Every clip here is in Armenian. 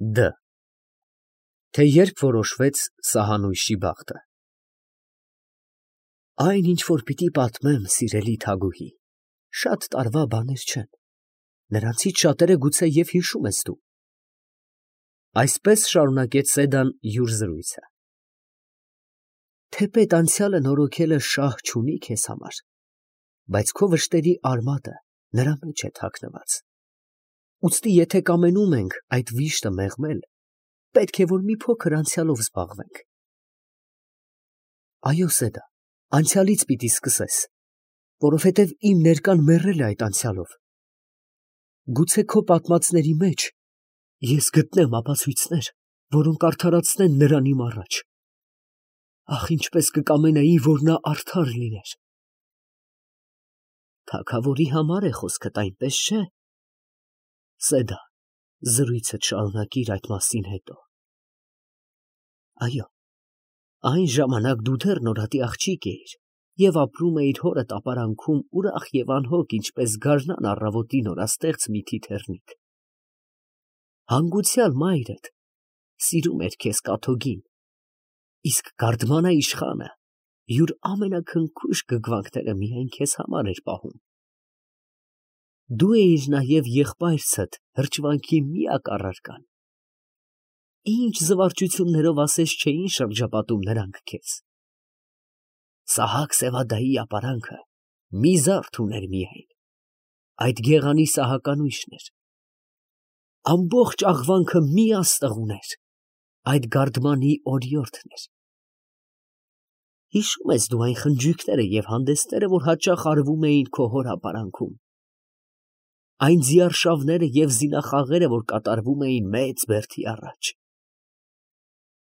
Դ. Թե երբ որոշվեց սահանույշի բախտը։ Այն, ինչ որ պիտի պատմեմ, սիրելի Թագուհի, շատ տարվա բաներ չեն, նրանցից շատերը գուցե և հիշում ես դու։ Այսպես շարունակեց Սեդան յուր զրույցը. թեպետ անցյալը նորոգելը շահ չունի քեզ համար, բայց քո վշտերի արմատը նրա մեջ է թաքնված։ Ուստի եթե կամենում ենք այդ վիշտը մեղմել, պետք է որ մի փոքր անցյալով զբաղվենք։ Այո, Սեդա, անցյալից պիտի սկսես, որովհետև իմ ներկան մեռել է այդ անցյալով։ Գուցե քո պատմածների մեջ ես գտնեմ ապացույցներ, որոնք արդարացնեն նրան իմ առաջ։ Ախ, ինչպես կկամենայի, որ նա արդար լիներ։ Թագավորի համար է խոսքդ, այնպես չէ։ Սեդա, զրույցդ շարունակիր այդ մասին հետո։ Այո, այն ժամանակ դու դեռ նորատի աղջիկ էիր և ապրում էիր հորդ ապարանքում ուրախ և անհոգ, ինչպես գարնան առավոտի նորաստեղծ մի թիթեռնիկ։ Հանգուցյալ մայրդ սիրում էր քեզ կաթոկին, իսկ Գարդմանա իշխանը յուր ամենաքնքուշ գգվանքները միայն քեզ համար էր պահում։ Դու էիր նաև եղբայրցդ հրճվանքի միակ առարկան։ Ինչ զվարճություններով ասես չէին շրջապատում նրանք քեզ։ Սահակ Սևադայի ապարանքը մի զարդ ուներ միայն, այդ գեղանի Սահականույշն էր։ Ամբողջ աղվանքը մի աստղ ուներ, այդ Գարդմանի օրիորդն էր։ Հիշում ես դու այն խնջույքները և հանդեսները, որ հաճախ արվում էին քո հոր ապարանքում, այն ձիարշավները և զինախաղերը, որ կատարվում էին մեծ բերդի առաջ։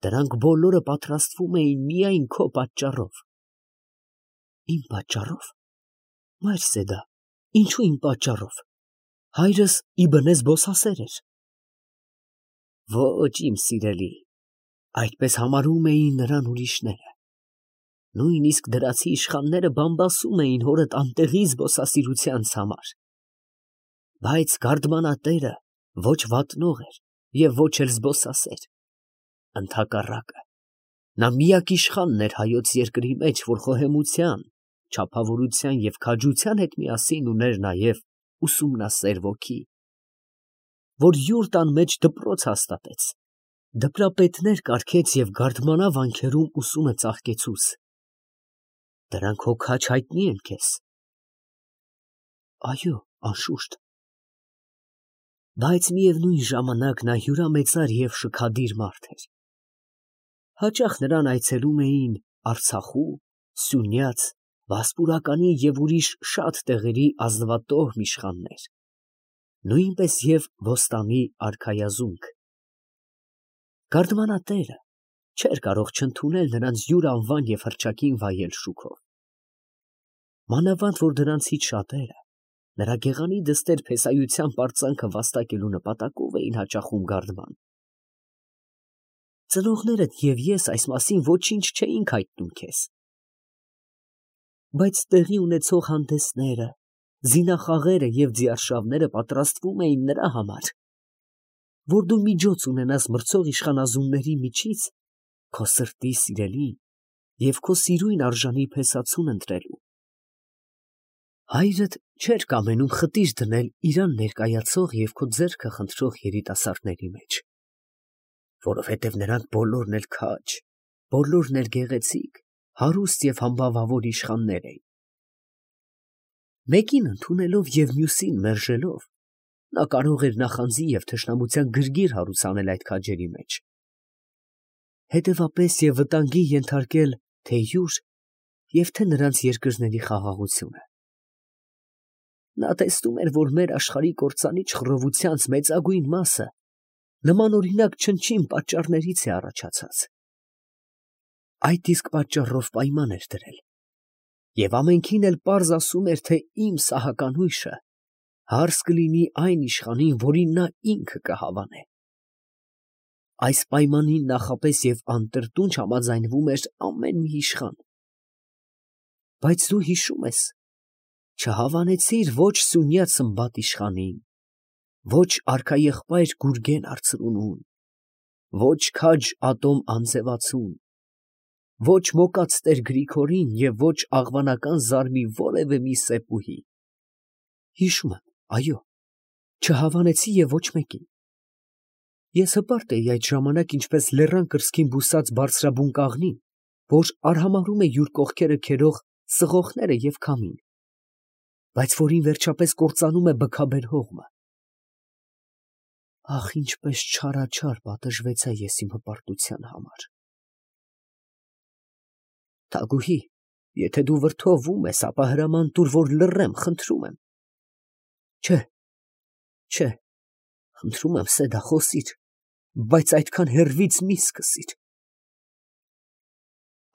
Դրանք բոլորը պատրաստվում էին միայն քո պատճառով։ Իմ պատճառով, մայր Սեդա, ինչու իմ պատճառով, հայրս իբնե զբոսասեր էր։ Ոչ, իմ սիրելի, այդպես համարում էին նրան ուրիշները։ Նույնիսկ դրացի իշխանները բամբասում էին հորդ անտեղի զբոսասիրությանց համար։ Բայց Գարդմանատերը ոչ վատնող էր և ոչ էլ զբոսասեր։ Ընդհակառակը, նա միակ իշխանն էր հայոց երկրի մեջ, որ խոհեմության, չափավորության և քաջության հետ միասին ուներ նաև ուսումնասեր ոգի, որ յուր տան մեջ դպրոց հաստատեց, դպրապետներ կարգեց և Գարդմանա վանքերում ուսումը ծաղկեցուց։ Դրանք հոգաչ հայտնի են քեզ։ Այո, անշուշտ։ Բայց միևնույն ժամանակ նա հյուրամեծար և շքադիր մարդ էր։ Հաճախ նրան այցելում էին Արցախու, Սյունյաց, Վասպուրականի և ուրիշ շատ տեղերի ազնվատոհմ իշխաններ, նույնպես և Ոստանի արքայազունգ։ Գարդմանատերը չէր կարող չընդունել նրանց յուր անվան և հռչակին վայել շուքով։ Մանավանդ որ դրանցից շատերը նրա գեղանի դստեր փեսայության պարծանքը վաստակելու նպատակով էին հաճախում Գարդման։ Ծնողներդ և ես այս մասին ոչինչ չէինք հայտնում քեզ։ Բայց տեղի ունեցող հանդեսները, զինախաղերը և ձիարշավները պատրաստվում էին նրա համար, որ դու միջոց ունենաս մրցող իշխանազունների միջից քո սրտի սիրելին և քո սիրույն արժանի փեսացուն ընտրելու։ Հայրդ չէր կամենում խտիր դնել իրան ներկայացող և քո ձեռքը խնդրող երիտասարդների մեջ, որովհետև նրանք բոլորն էլ քաջ, բոլորն էլ գեղեցիկ, հարուստ և համբավավոր իշխաններ էին։ Մեկին ընդունելով և մյուսին մերժելով, նա կարող էր նախանձի և թշնամության գրգիռ հարուցանել այդ քաջերի մեջ, հետևապես և վտանգի ենթարկել թե յուր և թե նրանց երկրների խաղաղությունը։ Նա տեսնում էր, որ մեր աշխարհի կործանիչ խռովությանց մեծագույն մասը նմանօրինակ չնչին պատճառներից է առաջացած։ Այդ իսկ պատճառով պայման էր դրել և ամենքին էլ պարզ ասում էր, թե իմ Սահականույշը հարս կլինի այն իշխանին, որին նա ինքը կհավանե։ Այս պայմանին նախապես և անտրտունջ համաձայնվում էր ամեն մի իշխան։ Բայց դու հիշում ես, չհավանեցիր ոչ Սյունյաց Սմբատ իշխանին, ոչ արքաեղբայր Գուրգեն արծրունուն, ոչ քաջ ատոմ անձևացուն, ոչ մոկած տեր Գրիգորին և ոչ աղվանական զարմի որևէ մի սեպուհի։ Հիշում եմ, այո, չհավանեցի և ոչ մեկին։ Ես հպարտ էի այդ ժամանակ ինչպես լեռան կրծքին բուսած բարձրաբուն կաղնին, որ արհամարհում է յուր կողքերը քերող սղոխները և քամին, բայց որին վերջապես կործանում է բքաբեր հողմը։ Ախ, ինչպես չարաչար պատժվեցա ես իմ հպարտության համար։ Թագուհի, եթե դու վրդովվում ես, ապա հրաման տուր, որ լռեմ, խնդրում եմ։ Չէ, խնդրում եմ, Սեդա, խոսիր, բայց այդքան հեռվից մի սկսիր։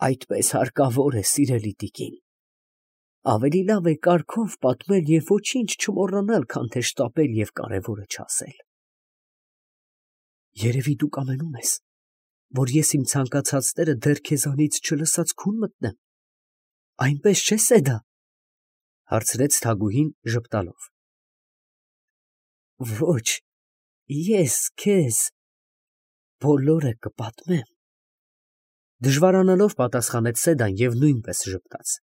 Այդպես հարկավոր է, սիրելի տիկին։ Ավելի լավ է կարգով պատմել և ոչինչ չմոռանալ, քան թե շտապել և կարևորը չասել։ Երևի դու կամենում ես, որ ես իմ ցանկացածները դեռ քեզանից չլսած քուն մտնեմ, այնպես չէ՞, Սեդա, հարցրեց Թագուհին ժպտալով։ Ոչ, ես քեզ բոլորը կպատմեմ, դժվարանալով պատասխանեց Սեդան և նույնպես ժպտաց։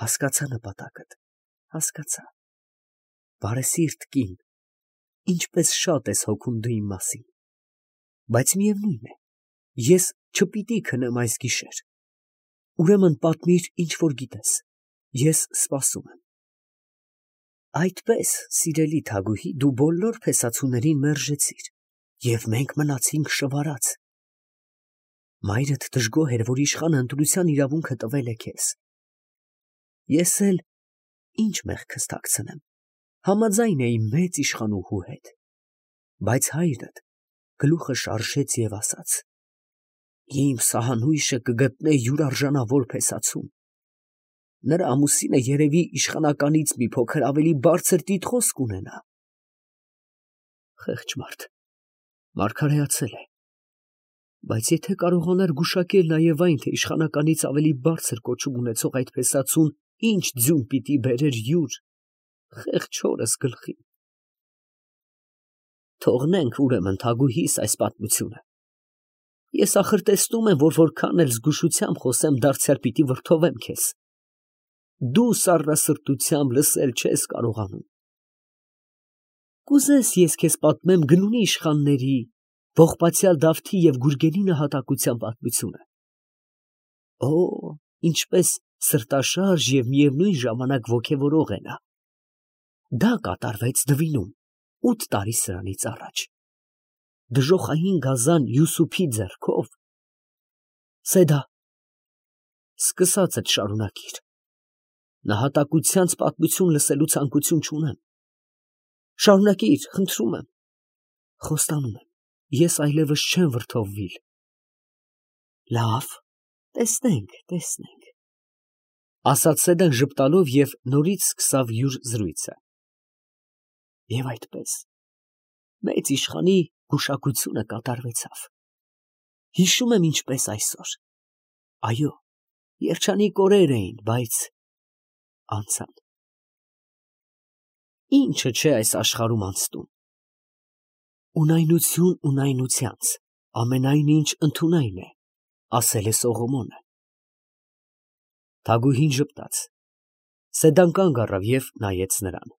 Հասկացա նպատակդ, հասկացա, բարեսիրտ կին, ինչպես շատ ես հոգում դու իմ մասին, բայց միևնույն է, ես չպիտի քնեմ այս գիշեր, ուրեմն պատմիր, ինչ որ գիտես, ես սպասում եմ։ Այդպես, սիրելի Թագուհի, դու բոլոր փեսացուներին մերժեցիր, և մենք մնացինք շվարած։ Մայրդ դժգոհ էր, որ իշխանը ընտրության իրավունքը տվել է քեզ։ Ես էլ ինչ մեղքս թաքցնեմ, համաձայն էի մեծ իշխանուհու հետ, բայց հայրդ գլուխը շարժեց և ասաց. Իմ սահանույշը կգտնե յուր արժանավոր փեսացուն։ Նրա ամուսինը երևի իշխանականից մի փոքր ավելի բարձր տիտղոս կունենա։ Խեղճ մարդ, մարգարեացել է, բայց եթե կարողանար գուշակել նաև այն, թե իշխանականից ավելի բարձր կոչում ունեցող այդ փեսացուն ինչ ձյուն պիտի բերեր յուր խեղճ հորս գլխին։ Թողնենք ուրեմն Թագուհիս այս պատմությունը։ Ես ախր տեսնում եմ, որ որքան էլ զգուշությամբ խոսեմ, դարձյալ պիտի վրդովեմ քեզ։ Դու սառնասրտությամբ լսել չես կարողանում։ Կուզես ես քեզ պատմեմ գնունի իշխանների, ողբացյալ Դավթի և Գուրգենի նահատակության պատմությունը։ Օ, ինչպես սրտաշարժ և միևնույն ժամանակ ոգևորող է նա։ Դա կատարվեց Դվինում 8 տարի սրանից առաջ։ Դժոխային գազան Յուսուփի ձեռքով։ Սեդա, սկսածդ շարունակիր։ Նահատակությանց պատմություն լսելու ցանկություն չունեմ։ Շարունակիր, խնդրում եմ։ Խոստանում եմ, ես այլևս չեմ վրդովվիլ։ Լավ, տեսնենք, ասաց Սեդան ժպտալով և նորից սկսավ յուր զրույցը։ Եվ այդպես, մեծ իշխանի գուշակությունը կատարվեցավ։ Հիշում եմ ինչպես այսօր։ Այո, երջանիկ օրեր էին, բայց անցան։ Ինչը չէ այս աշխարհում անցնում։ Ունայնություն ունայնությանց, ամենայն ինչ ընդունայն է, ասել է Սողոմոնը։ Թագուհին ժպտաց։ Սեդան կանգ առավ և նայեց նրան։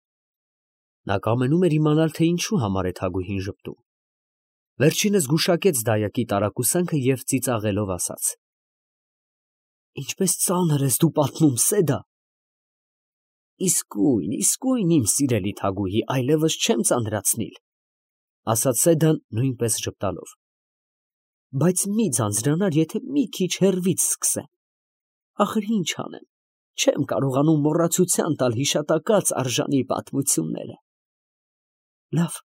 Նա կամենում էր իմանալ, թե ինչու համար է Թագուհին ժպտում։ Վերջինս գուշակեց դայակի տարակուսանքը և ծիծաղելով ասաց. Ինչպես ծանր ես դու պատմում, Սեդա։ Իսկույն, իմ սիրելի Թագուհի, այլևս չեմ ծանրացնիլ, ասաց Սեդան նույնպես ժպտալով։ Բայց մի ձանձրանար, եթե մի քիչ հեռվից սկսեմ։ Ախր ինչ անեմ, չեմ կարողանում մոռացության տալ հիշատակած արժանի պատմությունները։ Լավ,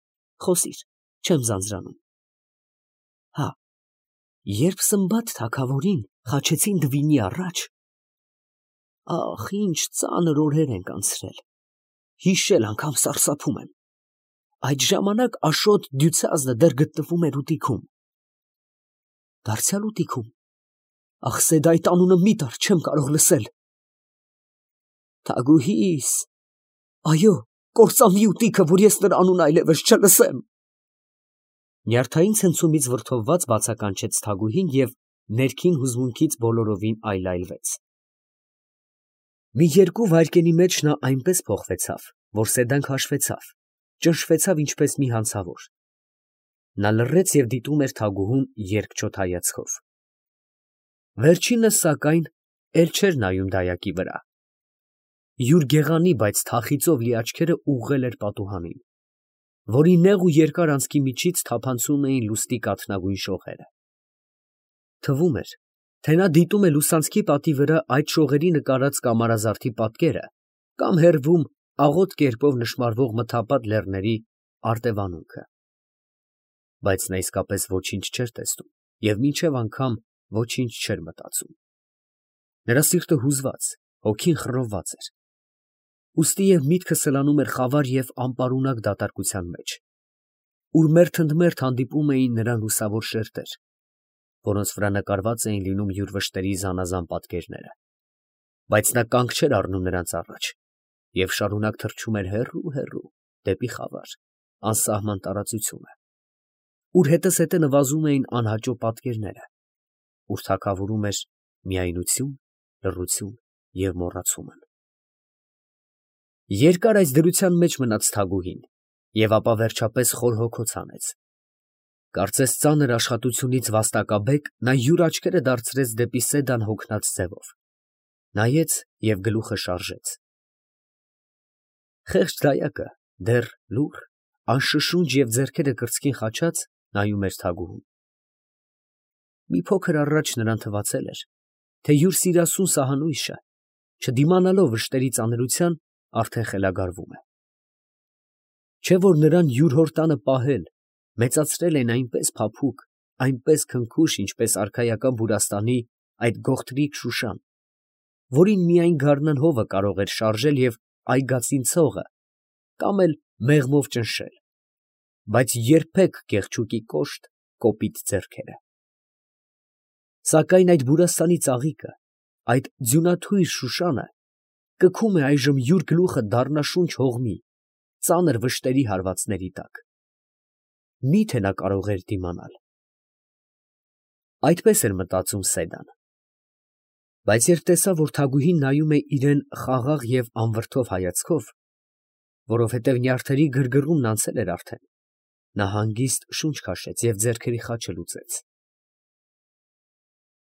խոսիր, չեմ ձանձրանում։ Հա, երբ Սմբատ թագավորին խաչեցին Դվինի առաջ, ախ, ինչ ծանր օրեր ենք անցրել, հիշել անգամ սարսափում եմ։ Այդ ժամանակ Աշոտ Դյուցազնը դեռ գտնվում էր ուտիքում։ Դարձյալ ուտիքում։ Ախ, Սեդա, այդ անունը մի տար, չեմ կարող լսել։ Թագուհիս, այո, կործանվի ուտիքը, որ ես նրա անունը այլևս չլսեմ։ Նյարդային ցնցումից վրդովված բացականչեց Թագուհին և ներքին հուզմունքից բոլորովին այլայլվեց։ Մի երկու վայրկենի մեջ նա այնպես փոխվեցավ, որ սեդանք հաշվեցավ, ճնշվեցավ ինչպես մի հանցավոր։ Նա լռեց և դիտում էր Թագուհուն երկչոտ հայացքով։ Վերջինս, սակայն, էլ չէր նայում դայակի վրա։ Յուր գեղանի, բայց թախիծով լի աչքերը ուղղել էր պատուհանին, որի նեղ ու երկար անցքի միջից թափանցում էին լուսնի կաթնագույն շողերը։ Թվում էր, թե նա դիտում է լուսանցքի պատի վրա այդ շողերի նկարած կամարազարդի պատկերը կամ հեռվում աղոտ կերպով նշմարվող մթապատ լեռների արտևանունքը։ Բայց նա իսկապես ոչինչ չէր տեսնում և մինչև անգամ ոչինչ չէր մտածում։ Նրա սիրտը հուզված, հոգին խռովված էր։ Ուստի և միտքը սլանում էր խավար և անպարունակ դատարկության մեջ, ուր մերթ ընդ մերթ հանդիպում էին նրան լուսավոր շերտեր, որոնց վրա նկարված էին լինում յուր վշտերի զանազան պատկերները, բայց նա կանգ չէր առնում նրանց առաջ և շարունակ թռչում էր հեռու դեպի խավար, անսահման տարածությունը, ուր հետզհետե նվազում էին անհաճո պատկերները, ուր թագավորում էր միայնություն, լռություն և մոռացում։ Երկար այս դրության մեջ մնաց Թագուհին և ապա վերջապես խոր հոգոց հանեց։ Կարծես ծանր աշխատությունից վաստակաբեկ նա յուր աչքերը դարձրեց դեպի Սեդան հոգնած ձևով, նայեց և գլուխը շարժեց։ Խեղճ դայակը դեռ լուռ, անշշունջ և ձեռքերը կրծքին խաչած նայում էր Թագուհուն։ Մի փոքր առաջ նրան թվացել էր, թե յուր սիրասուն սահանույշը, չդիմանալով վշտերի ծանրության, արդեն խելագարվում է։ Չէ՞ որ նրան յուր հոր տանը պահել, մեծացրել են այնպես փափուկ, այնպես քնքուշ, ինչպես արքայական Բուրաստանի այդ գողտրիկ Շուշան, որին միայն գարնան հովը կարող էր շարժել և այգածին ցողը կամ էլ մեղմով ճնշել, բայց երբեք կեղչուկի կոշտ, կոպիտ ձեռքերը։ Սակայն այդ Բուրաստանի ծաղիկը, այդ ձյունաթույր Շուշանը կգում է այժմ յուր գլուխը դառնաշունչ հողմի, ծանր վշտերի հարվածների տակ։ Մի՞թե նա կարող էր դիմանալ։ Այդպես էր մտածում Սեդան։ Բայց երբ տեսավ, որ Թագուհին նայում է իրան խաղաղ և անվրդով հայացքով, որովհետև նյարդերի գրգռումն անցել էր արդեն, նա հանգիստ շունչ քաշեց և ձեռքերի խաչը լուծեց։